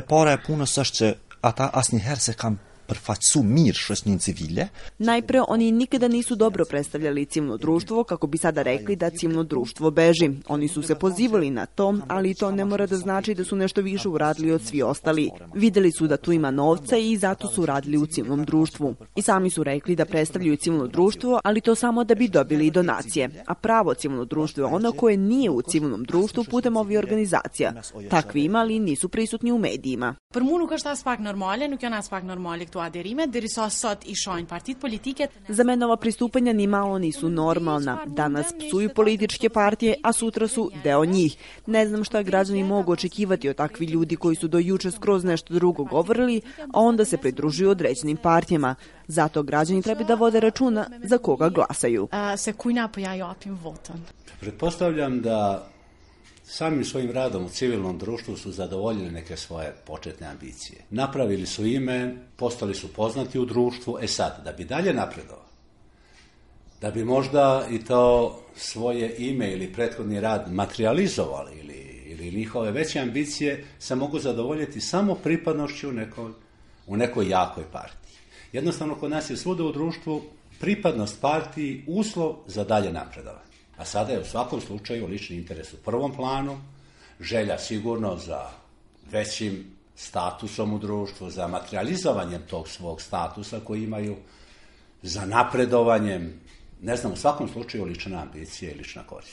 Para är på något sätt att Asni här se kan prfacu mir šesnin civilje. Najpre, oni nikada nisu dobro predstavljali civilno društvo, kako bi sada rekli da civilno društvo beži. Oni su se pozivali na to, ali to ne mora da znači da su nešto više uradili od svi ostali. Videli su da tu ima novca i zato su radili u civilnom društvu. I sami su rekli da predstavljaju civilno društvo, ali to samo da bi dobili donacije. A pravo civilno društvo je ono koje nije u civilnom društvu putem ovih organizacija. Takvi ima, ali nisu prisutni u medijima. Për mu nuk është as pak normale, nuk janë as pak normale këto aderime, derisa sot i shohin partit politike. Za mene ova pristupanja ni malo nisu normalna. Danas psuju političke partije, a sutra su deo njih. Ne znam šta građani mogu očekivati od takvi ljudi koji su do juče skroz nešto drugo govorili, a onda se pridružuju određenim partijama. Zato građani treba da vode računa za koga glasaju. Se kujna pojavim votom. Pretpostavljam da samim svojim radom u civilnom društvu su zadovoljili neke svoje početne ambicije. Napravili su ime, postali su poznati u društvu, sad, da bi dalje napredovali, da bi možda i to svoje ime ili prethodni rad materializovali ili njihove veće ambicije se mogu zadovoljiti samo pripadnošću u nekoj jakoj partiji. Jednostavno, kod nas je svuda u društvu pripadnost partiji uslov za dalje napredovanje. A sada je u svakom slučaju lični interes u prvom planu, želja sigurno za većim statusom u društvu, za materializovanjem tog svog statusa koji imaju, za napredovanjem, ne znam, u svakom slučaju lična ambicija i lična korist.